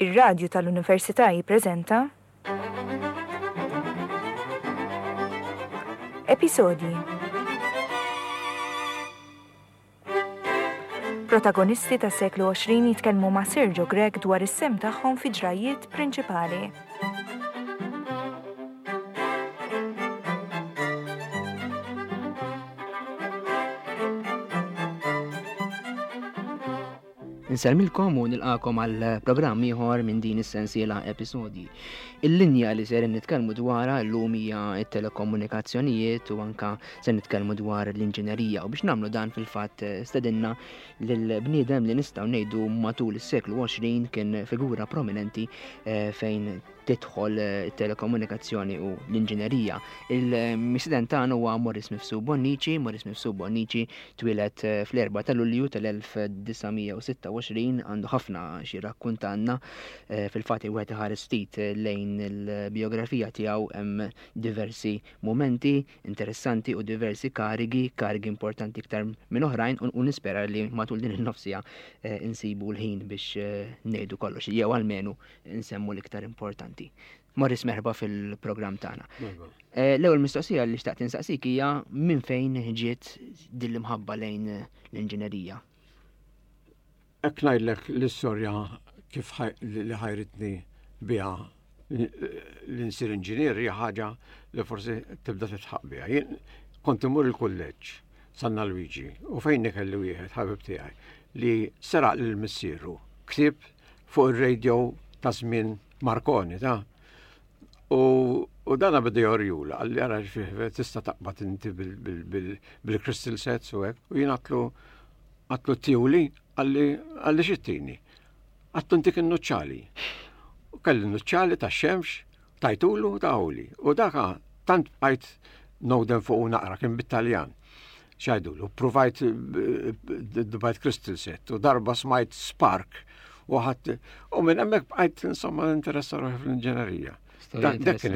Ir-Radju tal-Università jippreżenta Episodji Protagonisti tas-seklu 20 jitkellmu ma' Sergio Grech dwar is-sehem tagħhom fi ġrajjiet prinċipali. Insellmilkom u nilqakom għal programm ieħor minn din is-sensiela episodji. Il-linja li ser nitkellmu dwarha llum hija t-telekomunikazzjonijiet u anka se nitkellmu dwar l-inġinerija u biex nagħmlu dan fil-fatt stedinna lil bniedem li nistgħu ngħidu matul is-seklu 20 kien figura prominenti eh, fejn tidħol eh, telekomunikazzjoni u l-inġinerija. Il-misident tagħna huwa Morris Mifsu Bonnici, Morris Mifsu Bonnici twieled eh, fl-4 ta' Lulju tal-1926 għandu ħafna xi rakkuntanna eh, fil-fatt wieħed iħares ftit lejn il-biografija tiegħu hemm diversi mumenti interessanti u diversi karigi, karigi importanti iktar minn oħrajn u nispera li matul din il-nofsija insibu l-ħin biex ngħidu kollox jew almenu nsemmu l-iktar importanti. Morris merħba fil-programm tagħna. Eh, l-ewwel mistoqsija li xtaqt insaqsik hija minn fejn ġiet din l-imħabba lejn l-inġinerija? Hekk ngħidlek l-istorja kif li ħajritni biha li nsir inġinier hija ħaġa li forsi tibda titħaq biha. Jien kont imur il-kulleġġ Sanna Luigi u fejn kelli wieħed ħabib tiegħi li seraq lil missieru ktieb fuq ir-radio ta' żmien Marconi ta' u u dana beda jorjula għalli għara xfih tista' taqbad inti bil-crystal sets u hekk u jien għatlu għatlu tiwli għalli għalli xittini. Għattu intik in-nuċċali. U kelli nuċċali ta' xemx Tajtulu tawli. U daka tant bqajt nowden fuq u naqra kien bit-Taljan. Xajdulu, provajt dbajt crystal set u darba smajt spark u ħadd u minn hemmhekk bqajt insomma interessa ruħi fl-inġenerija. Dak kien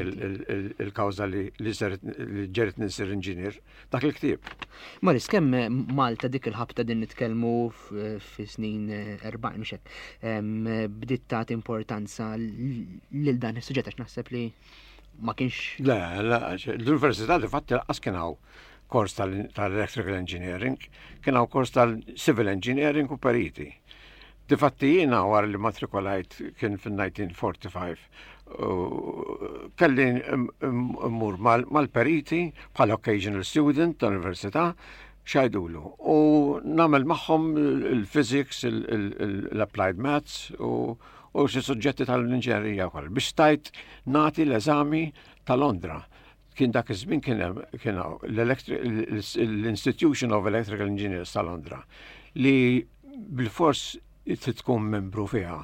il-kawża li ġerit ninsir inġinier, dak il-ktieb. Maris, kemm Malta dik il-ħabta din nitkellmu fi snin 40 mhux hekk, bdiet tagħti importanza lil dan is-suġġett għax naħseb li ma kienx. Le, le, l-università di fatti lanqas kien hawn kors tal-electrical engineering, kien hawn kors tal-civil engineering u periti. Difatti jiena wara li matrikolajt kien fin-1945 kelli mmur mal-periti bħala occasional student tal-università x'għidulu u nagħmel magħhom il-physics, l-applied maths u xi suġġetti tal-inġinerija wkoll biex stajt nagħti l-eżami ta' Londra. Kien dak iż-żmien kien hemm kien l-Institution of Electrical Engineers ta' Londra li bilfors trid tkun membru fiha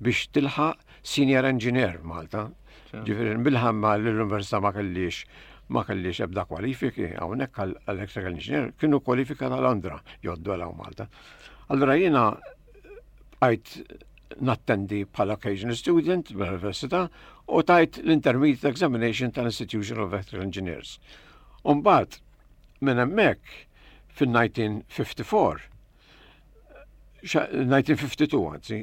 biex tilħaq senior engineer Malta. Ġifieri bil-ħamma l-università ma kellix ma kellix ebda kwalifiki hawnhekk għal electrical engineer kienu kwalifika ta' Londra joddu għal Malta. Allura jiena bqajt nattendi bħala occasional student mill-università u tajt l-intermediate examination tal-Institution of Electrical Engineers. Umbagħad minn hemmhekk fin-1954 1952 anzi,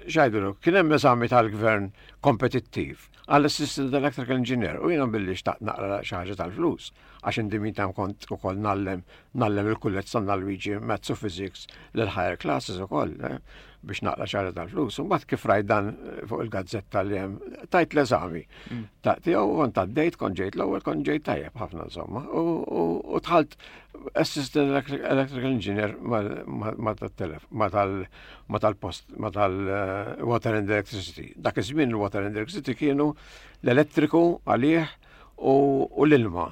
xajdulu, kien hemm eżami tal-gvern kompetittiv għall assistant electrical engineer u jiena billi xtaqt naqra xi ħaġa tal-flus għax indi tam kont ukoll nallem nallem il-kulleġġ San Luigi Maths u Physics lil higher classes ukoll eh, biex naqra xi ħaġa tal-flus. U mbagħad kif rajt dan fuq il-gazzetta li hemm tajt l-eżami. Mm. Ta' tiegħu kont għaddejt, kont ġejt l-ewwel, kont ġejt tajjeb ħafna insomma. U dħalt assistant electrical engineer ma tal-post, ma tal-water and electricity. Dak iż-żmien il-water and electricity kienu l-elettriku għalih u l-ilma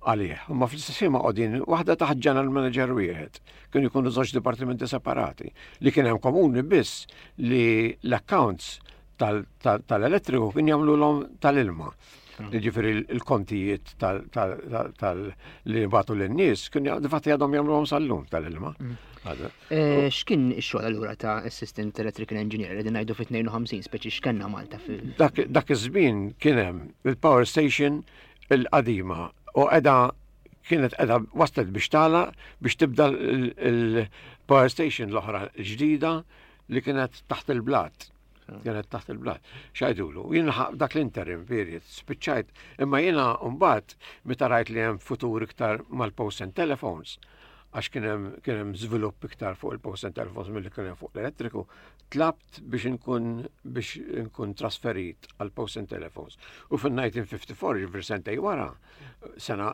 għalih. Ma fl-istess ma qogħdin waħda taħt general manager wieħed. Kienu jkunu żewġ dipartimenti separati li kien hemm komuni biss li l-accounts tal-elettriku kien jagħmluhom tal-ilma. Ġifieri l-kontijiet li batu lin-nies kien difatti għadhom jagħmluhom sal-lum tal-ilma. Mm. Eh, x'kien ix-xogħol allura ta' Assistant Electrical Engineer li ngħidu fit-52 speċi x'kenna Malta fil. Dak iż-żmien kien hemm il-power station il-qadima u qiegħda kienet qiegħda waslet biex tagħlaq biex tibda il-power station l-oħra ġdida li kienet taħt il-blat. Kienet taħt il-blat. Xajdulu, jien dak l-interim period, spiċċajt, imma jiena mbagħad meta rajt li hemm futur iktar mal-post and telephones, għax kien hemm żvilupp iktar fuq il-post and telephones milli kien hemm fuq l-elettriku, tlabt biex inkun biex inkun trasferit għal post and telephones. U fil-1954, ġifieri sentej wara, sena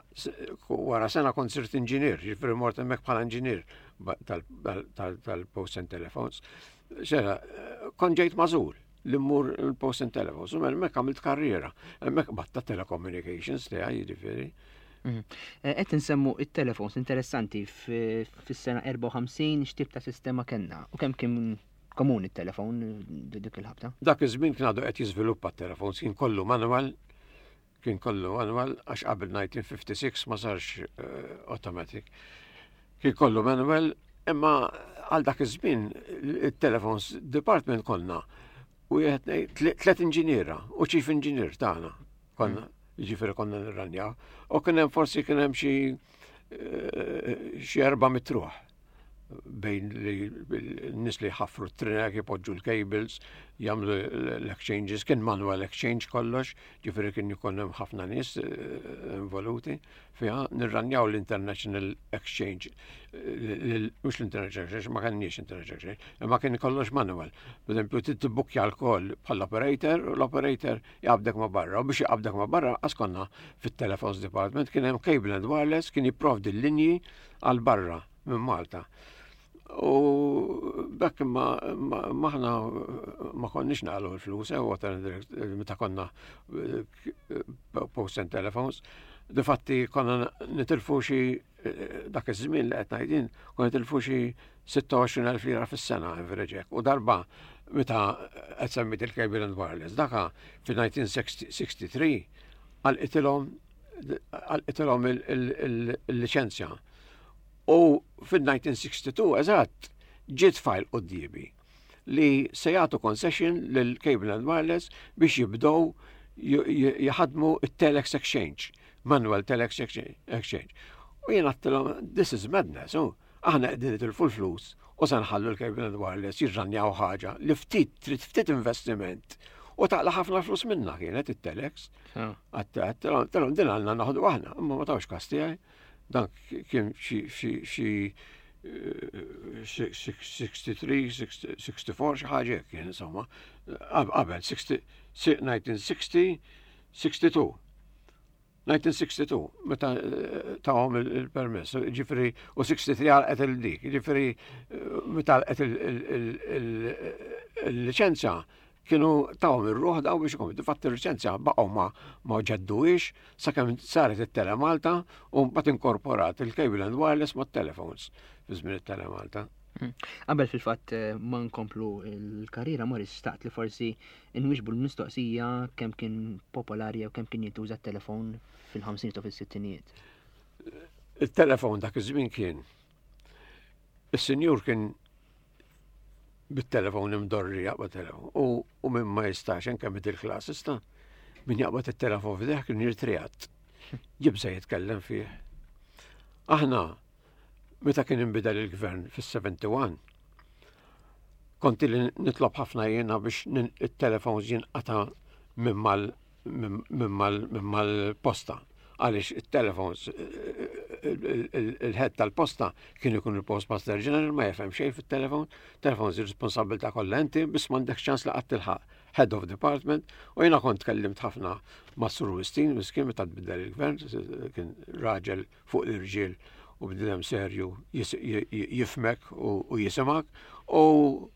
wara sena kont sirt inġinier, ġifieri mort hemmhekk bħala inġinier tal-post and telephones. Xera, kont ġejt mażul li mmur il-post and telephones, u hemmhekk għamilt karriera, hemmhekk batta telecommunications tiegħi jiġifieri. Eh, qed insemmu it-telefons interessanti fis-sena 54 x'tip ta' sistema kellna u kemm kien komuni t-telefon dik il-ħabta? Dak iż-żmien kien għadu qed jiżviluppa t-telefons, kien kollu manual, kien kollu manual għax qabel 1956 ma sarx eh, automatic. Kien kollu manual, imma għal dak iż-żmien it-telefons department konna u tliet inġiniera u chief engineer tagħna konna, jiġifieri konna nirranjaw. U kien hemm forsi kien hemm xi eh, xi erba' mitruħ bejn li n-nies li ħafru t-trinek, jpoġġu l-cables, jagħmlu l-exchanges, kien manual exchange kollox, ġifieri kien ikun hemm ħafna nies eh, involuti fiha, nirranjaw l-International Exchange, mhux l-International Exchange, ma kenniex International Exchange, imma kien kollox manual. Per eżempju, tibbukkja l-koll bħall-operator, u l-operator jaqbdek ma' barra, u biex jaqbdek ma' barra, għas konna fit-Telephones Department, kien hemm Cable and Wireless, kien jipprovdi l-linji għal barra minn Malta. U bekk ma maħna ma konniex naqlu l-flus, eh, water meta konna eh, post and telephones. Difatti konna nitilfu xi eh, dak iż-żmien li qed ngħidin, konna nitilfu xi 26,000 lira fis-sena average U darba meta qed semmit il-cable and wireless, daka fi-1963 għalqitilhom għalqitilhom il-liċenzja. U fil-1962 eżatt ġiet fajl quddiemi li se jagħtu concession lil Cable and Wireless biex jibdew jaħdmu it-Telex Exchange, manual Telex Exchange. U jien għattilhom, this is madness, oh. Aħna qegħdin nitilfu l-flus u se nħallu l-Cable and Wireless jirranjaw ħaġa li ftit trid ftit investiment u taqla ħafna flus minna kienet it-Telex. Għattilhom din għandna naħdu aħna, imma ma tawx kas tiegħi. Dan kien xi 63, 64 xi ħaġa kien insomma. Qabel 1960, 62. 1962, meta eh, tawhom il-permess, ġifri, u 63 għalqet il-dik, ġifri, eh, meta għalqet il-licenza, kienu tawhom ir-ruħ daw biex ikun. Difatti il-licenza baqgħu ma ma ġedduhiex sakemm saret it-Tele Malta u mbagħad inkorporat il-cable and wireless mat-telephones fi żmien it-Tele Malta. Hmm. Qabel fil-fatt eh, ma nkomplu l-karriera Morris staqt li forsi nwiġbu l-mistoqsija kemm kien popolari jew kemm kien jintuża t-telefon fil-50 u fis-sittinijiet. Il-telefon dak iż-żmien kien is-sinjur kien bit-telefon imdorri jaqbad telefon u minn ma jistax anke middle class ista min jaqbad it-telefon f'deħ kien jirtrijat. Jibża jitkellem fih. Aħna Meta kien inbidel il-gvern fis-71, kont li nitlob ħafna jiena biex it-telefons jinqata' minn mal-posta. Għaliex it-telefons, il-head tal-posta kien ikun il-postmaster general ma jefhem xejn fit-telefon, telefons ir-responsabilità kollha inti biss m'għandek ċans li qatt tilħaq head of department u jiena kont tkellimt ħafna ma' Sur Wistin, miskin meta tbiddel il-gvern, kien raġel fuq l-irġiel u bniedem serju jifmek u jisimak u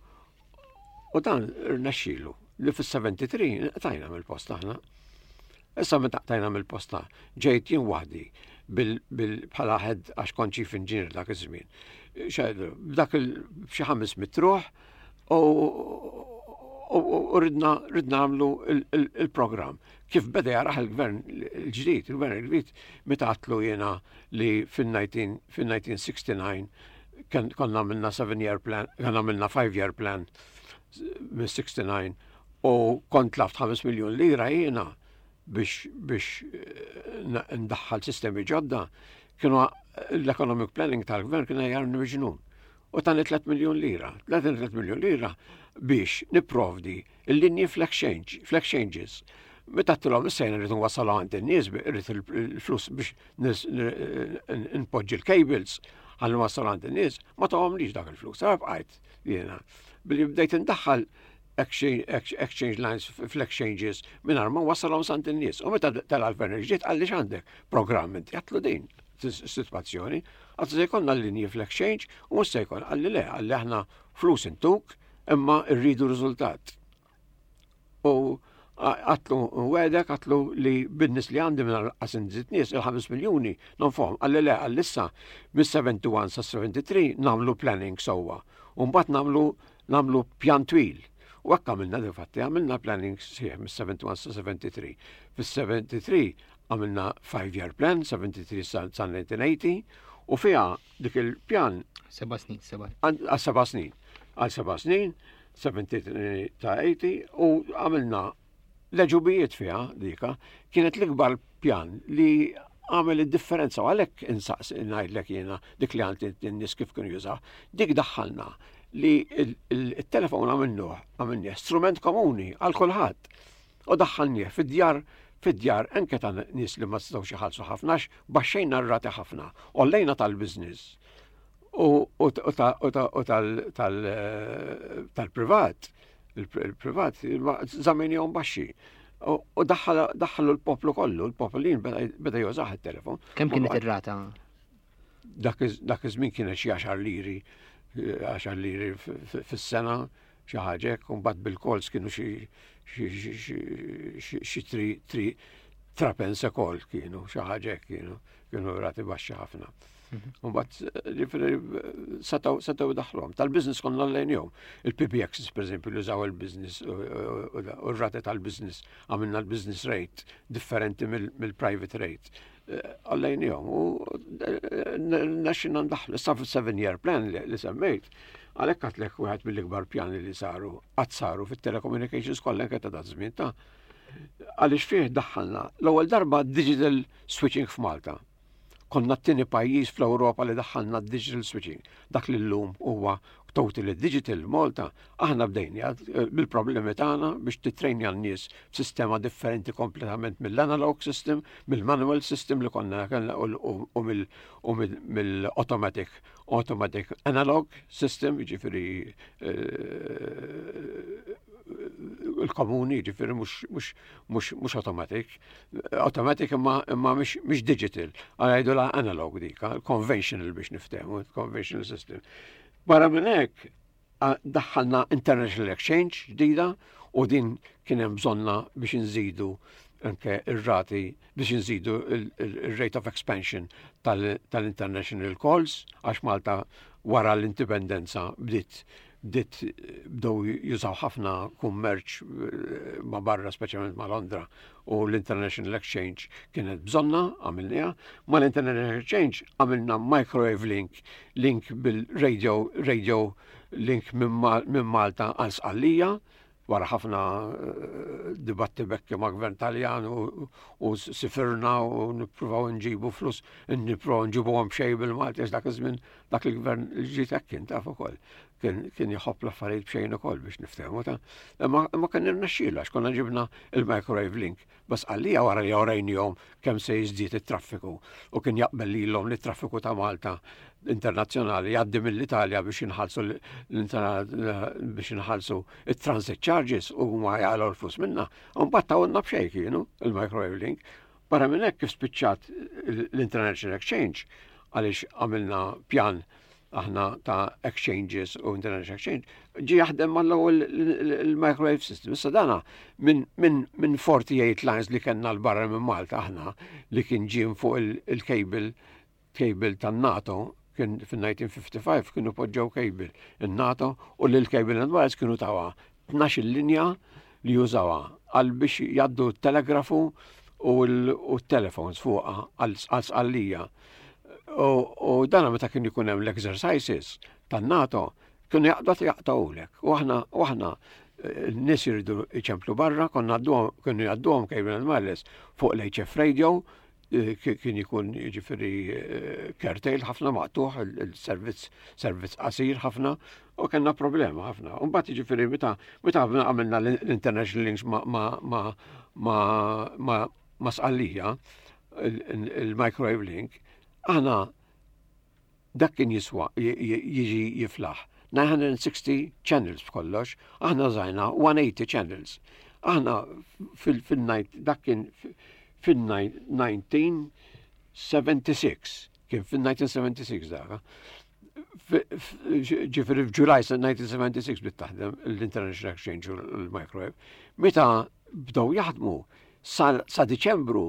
u dan rnexxielu li fis-73 qtajna mill-post aħna. Issa meta qtajna mill-posta ġejt jien waħdi bħala head għax kont chief engineer dak iż-żmien. B'dak il xi ħames mitruħ u ridna ridna nagħmlu il-programm. Kif beda jaraħ il-gvern il-ġdid, il-gvern il-ġdid meta għatlu jiena li fil-1969 konna għamilna 7 year plan, konna għamilna 5 year plan minn 69 u kont laft 5 miljon lira jiena biex biex eh, ndaħħal sistemi ġodda, kienu l-economic planning tal-gvern kien jarni miġnun. U tani 3 miljun lira. 3 miljun lira biex nipprovdi il-linji fl-exchange, fl-exchanges. Meta għedtilhom issa jien irrid nwassal għand in-nies, irrid il-flus biex npoġġi l-cables ħalli nwassal għand in-nies, ma tawhomlix dak il-flus. Għara bqajt jiena. Billi bdejt indaħħal exchange lines fl-exchanges mingħajr ma wassalhom sant in-nies. U meta tela' l-gvern il-ġdid qalli x'għandek programm inti għedtlu din is-sitwazzjoni. Għedtlu se jkollna l-linji fl-exchange u mhux se jkollna. Qalli le, qalli aħna flus intuk imma rridu riżultat. U għedtlu nwegħdek, għedtlu li bin-nies li għandi minn qas inżid nies il-5 miljuni nonfoqhom. Qalli le, qalli issa mis-71 sa 73 nagħmlu planning sewwa. U mbagħad nagħmlu nagħmlu pjan twil. U hekk għamilna difatti, għamilna planning sħiħ mis-71 sa 73. Fis-73 għamilna 5-year plan, 73 sa 1980, u fiha dik il-pjan. 7 snin, 7. Għal 7 snin. Għal 7 snin, 73 ta' 80, u għamilna leġubijiet fiha dika, kienet l-ikbar pjan li għamel id-differenza u għalhekk insaqs ngħidlek jiena dik li għandi n-nies kif kienu jużaw. Dik daħħalna li il-telefon għamilnuh, għamilnieh strument komuni għal kulħadd. U daħħalnieh fid-djar anke ta' nies li ma setgħux iħallsu ħafna, baxxejna r-rati ħafna, għollejna tal-business u tal-privat, il-privat żammejnihom baxxi. U daħħalu l-poplu kollu, l-popolin beda jużah il-telefon. Kemm kienet ir-rata? Dak iż-żmien kienet xi 10 liri, 10 liri fis-sena, xi ħaġa hekk, u mbagħad bil-calls kienu xi 3 pence a call kienu, xi ħaġa hekk kienu rati baxxi ħafna. U mbagħad ġifieri setgħu daħlhom. Tal-business konna għollejnihom. Il-PBXs, per eżempju, li użaw il-business u r-rati tal-business, għamilna l-business rate differenti mill-private rate. Għollejnihom u rnexxielna ndaħħlu. Issa fil-7 year plan li semmejt, għalhekk għedtlek wieħed mill-ikbar pjani li saru, qatt saru fit-telecommunications kollha anke ta' żmien ta' għaliex fih daħħalna l-ewwel darba digital switching f'Malta. Konna t-tieni pajjiż fl-Ewropa li daħħalna digital switching. Dak li llum huwa totally digital Malta, aħna bdejna bil-problemi tagħna biex titrejnja n-nies b'sistema differenti kompletament mill-analog system, mill-manual system li konna kellna u mill-automatic automatic analog system, ġifieri il-komuni, ġifieri mhux automatic. Automatic imma mhux digital, għajdu la analog dik, conventional biex niftehmu, conventional system. Barra minn hekk, daħħalna International Exchange ġdida u din kien hemm bżonna biex nżidu anke ir-rati biex nżidu il-rate of expansion tal-international calls għax Malta wara l-indipendenza bdiet bdiet bdew jużaw ħafna kummerċ ma' barra, speċjalment ma' Londra, u l-International Exchange kienet bżonna, għamilniha. Ma' l-International Exchange għamilna microwave link, link bil-radio, radio link minn Malta għal Sqallija, wara ħafna dibattibekki ma' gvern Taljan u sifirna u nippruvaw nġibu flus, nippruvaw nġibu għom xej bil-Malti, dak iż-żmien dak il-gvern ġiet hekk kien taf ukoll. Kien jħobb l-affarijiet b'xejn ukoll biex niftehmu ta'. Imma kien irnexxielu għax konna ġibna il-microwave link. Bas għalija wara li urejnihom kemm se jiżdied it-traffiku u kien jaqbel lilhom li traffiku ta' Malta internazzjonali jgħaddi mill-Italja biex inħallsu it-transit charges u ma jaqilgħu l-flus minna. Mbagħad tawna b'xejn kienu il-microwave link. Barra minn hekk kif spiċċat l-International Exchange għaliex għamilna pjan aħna ta' exchanges u international exchange, ġi jaħdem mal-ewwel il-microwave system. Issa dana minn 48 lines li kellna l-barra minn Malta aħna li kien ġie fuq il-cable cable tan-NATO kien fin-1955 kienu poġġew cable in-NATO u li l-cable and wires kienu tawa 12 linja li jużawha għal biex jgħaddu telegrafu u l-telefons fuqha għal Sqallija. U dana meta kien ikun hemm l-exercises tan-NATO kienu jaqbdu jaqtgħulek. U aħna n-nies jridu iċemplu barra, konna kienu jgħadduhom cable and wireless fuq l-HF radio. Kien jkun jiġifieri curtail ħafna maqtuħ il-servizz servizz qasir ħafna u kellna problema ħafna. U mbagħad jiġifieri meta meta għamilna l-international links ma ma ma ma ma ma Sqallija il-microwave link, aħna dak kien jiswa jiġi jiflaħ 960 channels b'kollox, aħna żajna 180 channels. Aħna fil-night dak kien fil-1976, kien fil-1976 dak. Ġifieri f'Ġulaj 1976 bdiet taħdem l-International Exchange u l-Microwave. Meta bdew jaħdmu sa Diċembru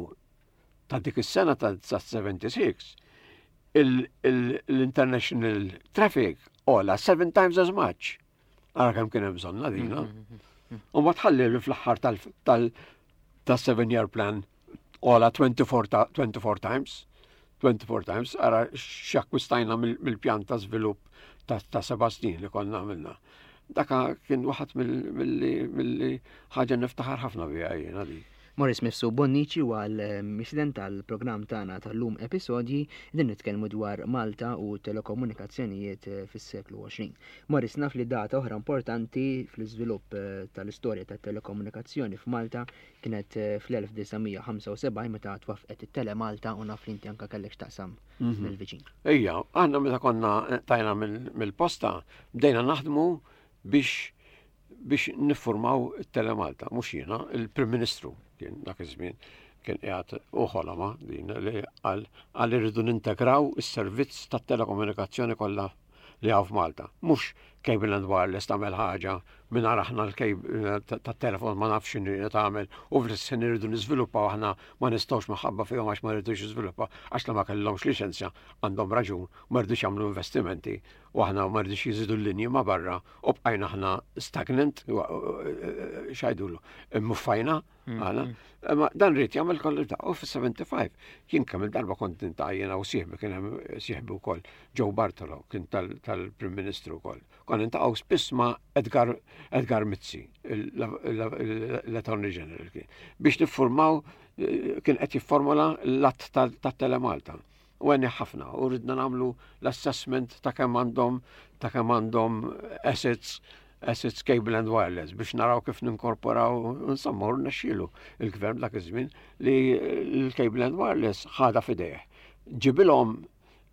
ta' dik is-sena ta' 76, l-international traffic għola seven times as much. Ara kemm kien hemm bżonna dina. U ma tħalli li fl-aħħar tal-seven year plan għola 24, 24 times. 24 times, ara x'akkwistajna mill-pjan ta' żvilupp ta' seba' snin li konna għamilna. Daka kien waħed mill-li ħaġa niftaħar ħafna biha jiena dik. Maurice Mifsud Bonnici huwa l-mistieden tal-programm tagħna tal-lum Episodji, qegħdin nitkellmu dwar Malta u telekomunikazzjonijiet fis-seklu 20. Maurice, naf li data oħra importanti fl-iżvilupp tal-istorja tat-telekomunikazzjoni f'Malta kienet fl-1975 meta twaffqet it-Telemalta u naf li inti anke kellek x'taqsam mill-viċin. Ejja, aħna meta konna tajna mill-posta bdejna naħdmu biex biex niffurmaw it-Telemalta, mhux jiena, il-Prim Ministru kien dak iż-żmien kien qiegħed u ħoloma din li qal qal irridu nintegraw is-servizz tat-telekomunikazzjoni kollha li hawn f'Malta. Mhux Cable and Wireless tagħmel ħaġa mingħajr aħna l-cable tat-telefon ma nafx x'inhi tagħmel u fl-istess ħin irridu niżviluppaw aħna ma nistgħux minħabba fihom għax ma rridux jiżviluppaw għax la ma kellhomx liċenzja għandhom raġun ma rridux jagħmlu investimenti u aħna ma rridux jiżidu l-linji ma' barra u bqajna aħna stagnant, xajdulu, muffajna, għana. Ma dan rrit jagħmel kollu ta' u fis-75 jien kemm il-darba kont nintaqa' jiena u sieħbi kien hemm sieħbi wkoll Joe Bartolo kien tal-Prim Ministru wkoll. Konna nintaqgħu spiss ma' Edgar Edgar Mizzi, l-Attorney General kien, biex niffurmaw kien qed jifformula l-att tat-Telemalta. U għenni ħafna u ridna nagħmlu l-assessment ta' kemm għandhom ta' kemm għandhom assets assets cable and wireless biex naraw kif ninkorporaw insomma u rnexxielu il-gvern dak iż-żmien li l-cable and wireless ħadha f'idejh. Ġibilhom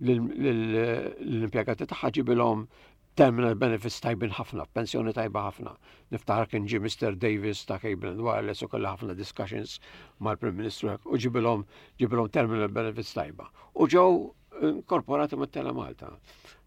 l-impjegati tagħha ġibilhom terminal benefits tajbin ħafna, pensjoni tajba ħafna. Niftaħar kien ġie Mr. Davis ta' Cable and Wireless u kellha ħafna discussions mal-Prim Ministru u ġibilhom ġibilhom terminal benefits tajba. U ġew inkorporati mat-Telemalta.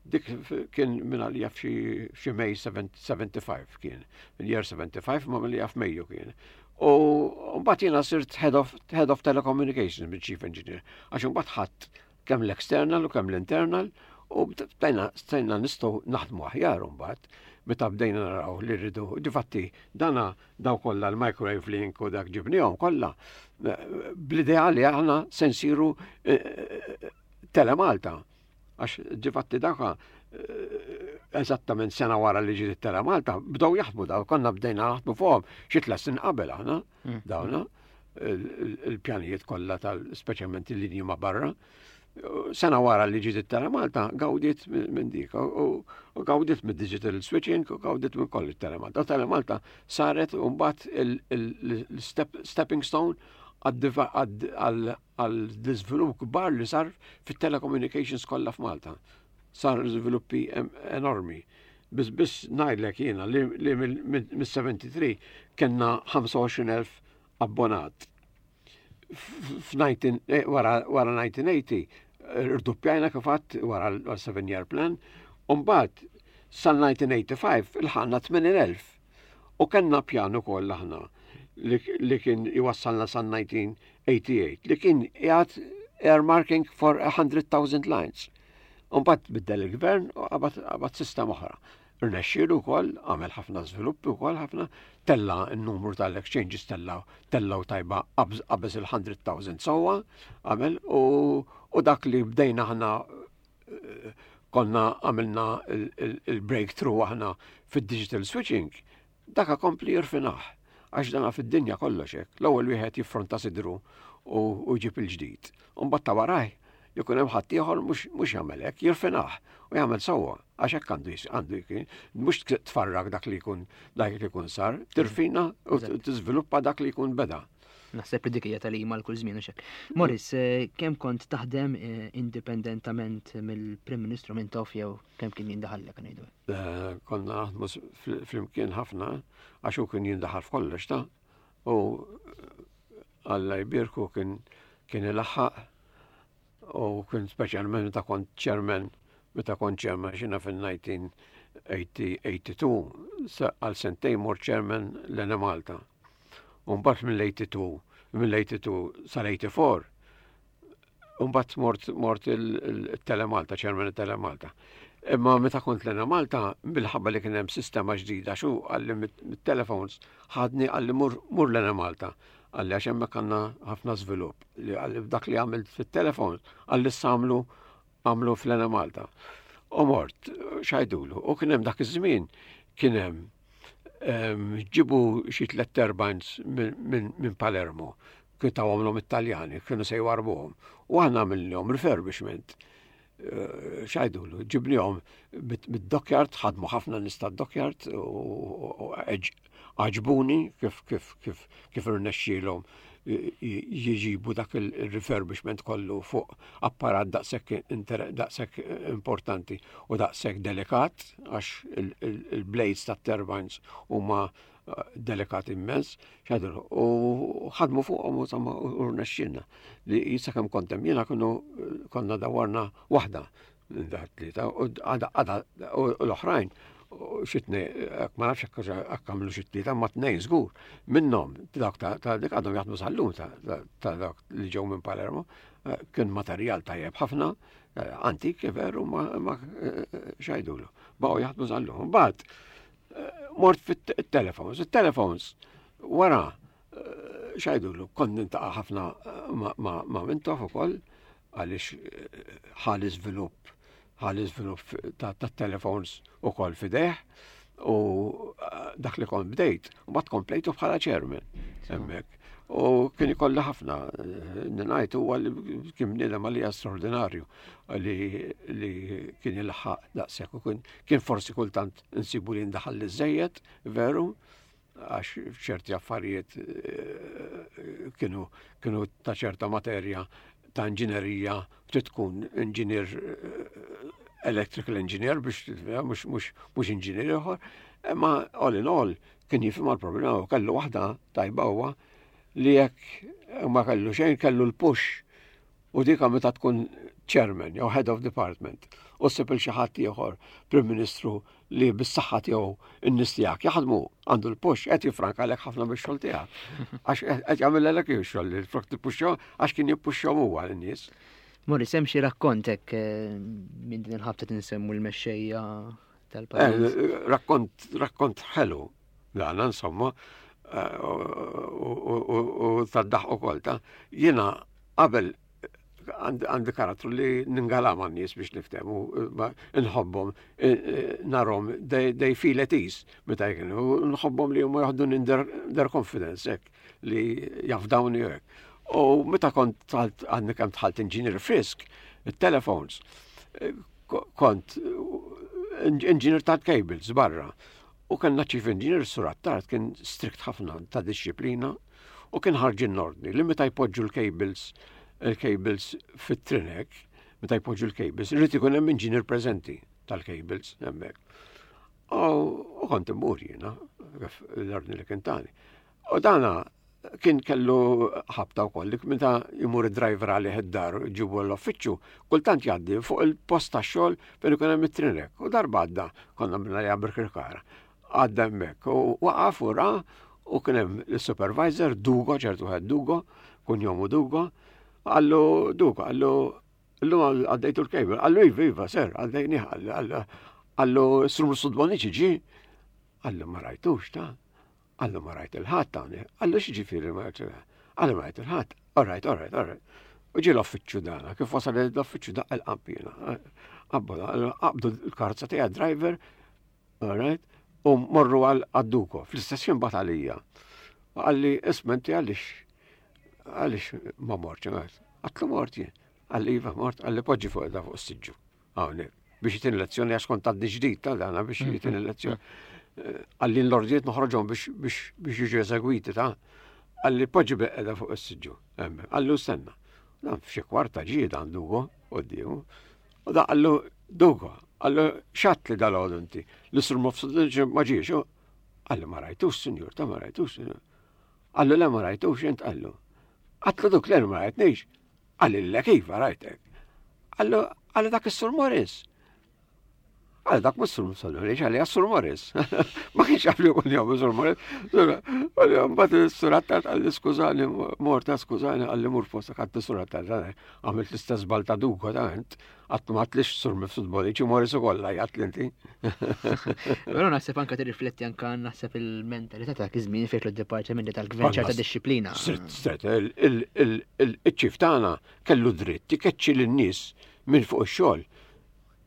Dik kien minn għalija f'xi May 75 kien. Year 75 ma mill f'Mejju kien. U mbagħad jiena sirt head of, head of telecommunications minn chief engineer. Għax mbagħad ħadd kemm l-external u kemm l-internal u bdejna stajna nistgħu naħdmu aħjar mbagħad meta bdejna naraw li rridu. Difatti dana daw kollha l-microwave link u dak ġibnihom kollha bl-idea li aħna se nsiru Telemalta. Għax difatti daka eżattament sena wara li ġiet Telemalta bdew jaħdmu daw konna bdejna naħdmu fuqhom xi tliet snin qabel aħna dawna il-pjanijiet kollha tal speċjalment il-linji ma' barra. Sena wara li ġiet it-Telemalta gawdiet minn dik u gawdiet mid digital switching u gawdiet minn kollu it-Telemalta. Telemalta saret mbagħad il-stepping stone għall-iżvilupp kbar li sar fit-telecommunications kollha f'Malta. Sar żviluppi enormi. Biss biss ngħidlek jiena li mill-73 kellna 25,000 abbonat. Wara 1980 irdoppjajna kif għadt wara l-7 year plan, u mbagħad sal-1985 ilħaqna 80,000. U kellna pjan ukoll aħna li kien iwassalna sal-1988 li kien qiegħed earmarking for 100,000 lines. U mbagħad biddel il-gvern u qabad sistema oħra. Irnexxielu wkoll, għamel ħafna żviluppi wkoll ħafna, tella n-numru tal-exchanges tella tellaw tajba qabeż il-100,000 sewwa għamel u dak li bdejna aħna konna għamilna il-breakthrough aħna fid-digital switching, daka kompli jirfinah. Għax dana fid-dinja kollox hekk. L-ewwel wieħed jiffronta sidru u jġib il-ġdid. U mbagħad ta' warajh jkun hemm ħaddieħor mhux jagħmel hekk, jirfinah u jagħmel sewwa għax hekk għandu għandu jkun mhux tfarrak dak li jkun dak li jkun sar, tirfina u tiżviluppa dak li jkun beda. Naħseb li dik hija tagħlima għal kull żmien u xek. Morris, eh, kemm kont taħdem eh, indipendentament mill-Prim Ministru minn tof jew kemm kien jindaħallek ngħidu? Eh, konna naħdmu flimkien ħafna għax hu kien jindaħal f'kollox ta' u Alla jbierku kien kien ilaħħaq u kien speċjalment meta kont chairman meta kont chairman xina fil-1982 għal sentejn mort chairman l-Enemalta. U mbagħad mill-82 mill-82 sal-84 Umbat mort mort il-Telemalta, ċermen il-Telemalta. Imma meta kont l Malta, bil-ħabba li kien hemm sistema ġdida, xu għalli mit-telefons ħadni għalli mur, mur l Malta. Għalli għax hemmhekk għandna ħafna żvilupp. Li għalli dak li għamilt fit-telefons, għalli samlu għamlu fl Malta. U mort, xajdulu, u kien hemm dak iż-żmien kien hemm ġibu xi tliet turbines minn Palermo Kien tawhomlhom it-Taljani, kienu se jwarbuhom. U aħna għamilnihom refurbishment. Eh, xajdulu, ġibnihom mid-dockyard, ħadmu ħafna nies tad-dockyard u għaġbuni kif kif kif kif irnexxielhom jiġibu dak il-refurbishment kollu fuq apparat daqshekk daqshekk importanti u daqshekk delikat għax il-blades tat-turbines huma delikat immens, xadru, u ħadmu fuqhom u insomma u rnexxilna li sakemm kont hemm jiena kienu konna dawarna waħda minn dak tlieta u għada u l-oħrajn xi tnej, ma nafx hekk għamlu xi tlieta ma tnejn żgur minnhom dak ta' dik għadhom jaħdmu sal-lum ta' dak li ġew minn Palermo eh, kien materjal tajjeb ħafna, eh, antik veru ma eh, xajdulu. Baqgħu jaħdmu sal-lum. Mbagħad mort fit-telefons. Il-telefons wara eh, xajdulu, kont nintaqa' ħafna eh, ma' Mintoff ukoll għaliex eh, ħal iżvilupp ħal iżvilupp ta' telefons ukoll fideh u dak li kont bdejt u bat komplejtu bħala chairman hemmhekk. U kien ikolli ħafna, ngħid huwa li kien bniedem għalija straordinarju li kien ilħaq daqshekk u kien forsi kultant insibu li ndaħal li żejjed, veru, għax ċerti affarijiet eh, kienu kienu ta' ċerta materja ta' inġinerija trid tkun inġinier eh, electrical engineer biex mhux inġinier ieħor, imma all in all kien jifhem għall-problema u kellu waħda tajba huwa li jekk ma kellu xejn kellu l-push U dika meta tkun chairman jew head of department u ssib il xi ħadd ieħor Prim Ministru li bis-saħħa tiegħu n-nies tiegħek jaħdmu għandu l-push qed jifrankalek ħafna bix-xogħol tiegħek. Għax qed jagħmilek ix-xogħol li flok tippuxxhom għax kien jippuxxhom huwa lin-nies. Morris, hemm xi rakkont hekk eh, minn din il-ħabta tinsemmu l-mexxejja tal-pajjiż? Eh, rakkont, rakkont ħelu dan insomma eh, u tad-daħ ukoll ta' jiena Qabel għandi karattru li ningala ma' nies biex niftehmu, nħobbhom, narhom, they feel at ease meta jkunu, nħobbhom li huma jaħdu in their confidence hekk li jafdawni hekk. U meta kont dħalt għadni kemm dħalt engineer frisk, it-telefons, kont engineer ta' cables barra. U kellna chief engineer Sur Attard kien strict ħafna ta' dixxiplina u kien ħarġin ordni li meta jpoġġu l-cables il-cables fit-trinek, meta jpoġġu l-cables, irid ikun hemm inġinier preżenti tal-cables hemmhekk. U kont immur jiena, l-ordni li kien tani. U dana kien kellu ħabta wkoll li meta jmur id-driver għalih id-dar ġibu l-uffiċċju, kultant jgħaddi fuq il-post tax-xogħol fejn ikun hemm it-trinek. U darba għadda konna minna li Birkirkara. Għadda hemmhekk u waqaf u ra u kien hemm il-supervisor Dugo, ċertu wieħed Dugo, kunjomu Dugo, qallu Dugo, qallu illum għaddejtu l-kejbel, qallu iva, iva, ser, għaddejni, qallu s-sur Sudboniċi ġi, qallu ma rajtux ta' qallu ma rajt il-ħadd hawnhekk, qallu x'ġifieri ma rajt il-ħadd, qallu ma rajt il-ħadd, all right, all right, all right. U ġie l-uffiċċju dana, kif wasal l-uffiċċju daqqa l-qampina. Qabdu l-karozza tiegħi driver, All right? U morru għal għadduko. Fl-istess ħin bat għalija. U qalli isma' inti għaliex għaliex ma mortx. Għatlu mort jien. Qalli iva mort, qalli poġġi fuq da fuq is-siġġu. Hawnhekk biex jitin lezzjoni għax kont għadni ġdid ta' dana biex mm-hmm. jitin lezzjoni. Eh, qalli l-ordijiet noħroġhom biex jiġu eżegwiti ta' qalli poġġi beqeda fuq is-siġġu. Qallu stenna. Dan f'xi kwarta ġie dan Dugo quddiemu. U da qallu Dugo, qallu xatt li dal-għodu inti. L-isru mofsud ma ġiex. Qallu ma rajtux, sinjur, ta' ma rajtux. Qallu le ma rajtux, int qallu. Għatlu duk le ma rajtnix. Qalli le kif rajtek. Qallu qallu dak is-Sur Morris. Għal dak mhux Sur Morris, għalli Sur Morris. Ma kienx jaf li jkun jom Sur Morris. Għalli mbagħad is-Sur Attard qalli skużani, morta skużani, qalli mur postek għad Sur Attard, għamilt l-istess żball ta' Dugo ta' int. Għattu ma tlix sur mifsud boliċi, Morris u kolla, jgħat l-inti. Pero naħseb anka tirrifletti anka naħseb il-mentalità ta' iż-żmien fejn d-dipartimenti tal-gvern ċerta disċiplina. Stret, il-ċif tagħna kellu dritt ikeċċi lin-nies minn fuq ix-xogħol.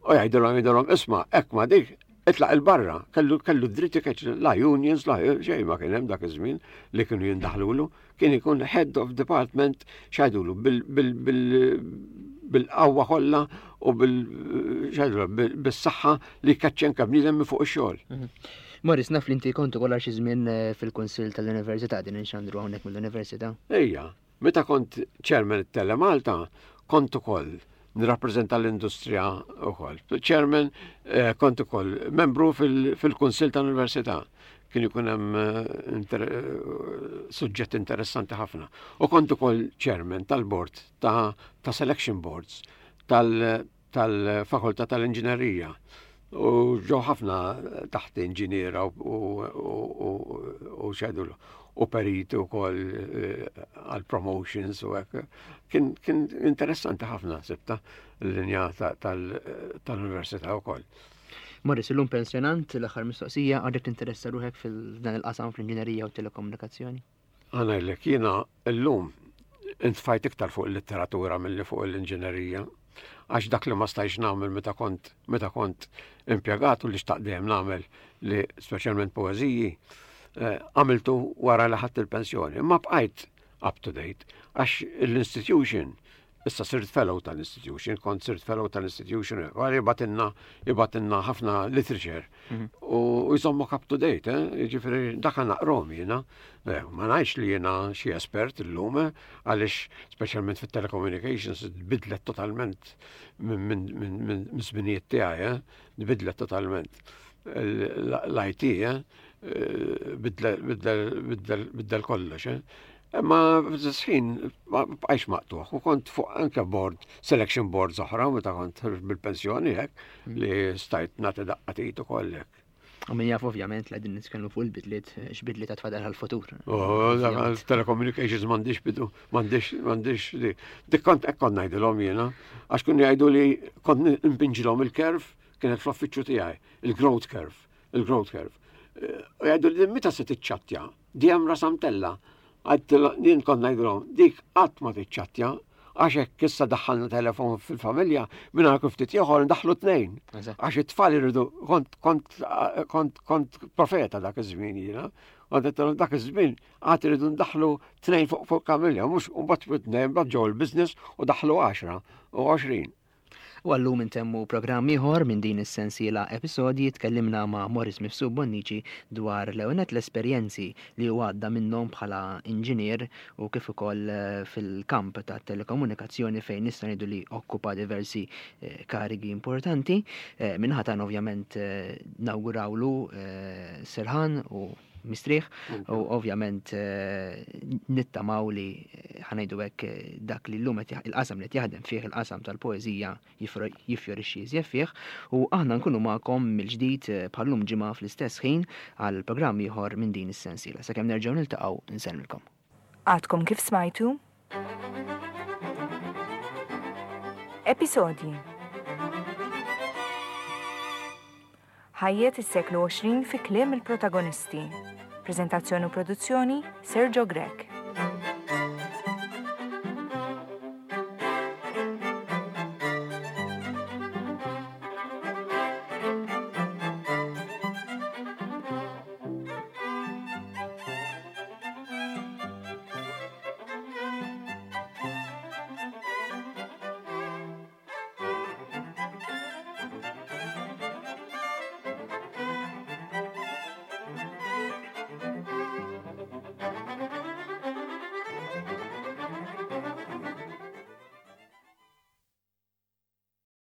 U jgħidilhom jgħidilhom isma' hekk ma dik itlaq il-barra, kellu kellu dritt ikeċċi la unions, la xejn ma kien hemm dak iż-żmien li kienu jindaħlulu. Kien ikun head of department x'għidulu bil-qawwa kollha u bil-saħħa li jkaċċi anke bniedem minn fuq ix-xogħol. Mhm. Morris, naf li inti kont ukoll xi żmien eh, fil-Kunsill tal-Università din inxandru hawnhekk mill-Università. Ejja, meta kont chairman it-Tele Malta, kont ukoll nirrappreżenta l-industrija wkoll. Chairman eh, kont ukoll membru fil-Kunsill tal-Università. Kien ikun hemm eh, inter eh, suġġett interessanti ħafna. U kont ukoll chairman tal-board ta', ta selection boards tal-fakultà tal tal-inġinerija. U ġew ħafna taħt inġiniera u, u, u, xedulu u periti u koll eh, għal promotions u hekk. Kien, kien interessanti ħafna sibta l-linja tal-università u koll. Morris, illum pensjonant, l-aħħar mistoqsija, għadek tinteressa ruħek fil-dan il-qasam fl-inġinerija u telekomunikazzjoni? Għanajlek, jiena illum intfajt iktar fuq il-litteratura milli fuq l-inġinerija. Għax dak li ma stajx nagħmel meta kont meta kont impjegat u li xtaqt dejjem nagħmel li speċjalment poeżiji, eh, għamiltu wara li ħadt il-pensjoni. Ma bqajt up to date għax l-institution Issa sirt fellow tal-institution, kont sirt fellow tal-institution, għal jibatinna, jibatinna ħafna literature. Mhm. U jżommok up to date, eh? ġifiri dak naqrom jiena. Eh, ma ngħidx li jiena xi espert illum, eh, għaliex speċjalment fit-telecommunications tbidlet totalment minn żminijiet tiegħi, eh? tbidlet totalment. L-IT, biddel kollox. Imma fl-istess ħin ma bqajx maqtugħ u kont fuq anke board, selection boards oħra meta kont bil-pensjoni hekk mm. li stajt nagħti daqqa tit ukoll hekk. U min jaf ovvjament li qegħdin nitkellmu fuq il-bidliet, x'bidliet għad fadal għall-futur. Oh, telecommunications m'għandix bidu, m'għandix m'għandix dik kont hekk kont ngħidilhom jiena, għax kienu jgħidu li kont npinġilhom il-curve kienet fl-uffiċċju tiegħi, il-growth curve, il-growth curve. Eh, u jgħidu li meta se tiċċattja? Dejjem rasha mtella'. Għedtilha, jien kont ngħidilhom, dik qatt ma tiċċattja, għax hekk issa daħħalna telefon fil-familja, minn hawn ftit ieħor ndaħħlu tnejn. Għax it-tfal iridu, kont kont kont kont profeta dak iż-żmien jiena. Kont għedtilhom dak iż-żmien għad iridu ndaħħlu tnejn fuq fuq familja, mhux u mbagħad tnejn mbagħad ġew il-business u daħħlu għaxra u 20. U għallum intemmu programm ieħor minn din is-sensiela episodji tkellimna ma' Morris Mifsud Bonnici dwar l-ewwel nett l-esperjenzi li hu għadda minnhom bħala inġinier u kif ukoll fil-kamp tat-telekomunikazzjoni fejn nista' ngħidu li okkupa diversi karigi importanti. Min-naħa tagħna ovvjament nawgurawlu serħan u mistrieħ u ovvjament eh, nittamaw li eh, ħanajdu hekk eh, dak li llum il-qasam li qed jaħdem fih il-qasam tal-poeżija jiffjorixxi iżjed fih u aħna nkunu magħkom mill-ġdid bħallum ġimgħa fl-istess ħin għal programm ieħor minn din is-sensiela. Sakemm nerġgħu niltaqgħu nsellmilkom. Għadkom kif smajtu Episodji Ħajjet is-seklu 20 fi kliem il-protagonisti. Preżentazzjoni u produzzjoni Sergio Grech.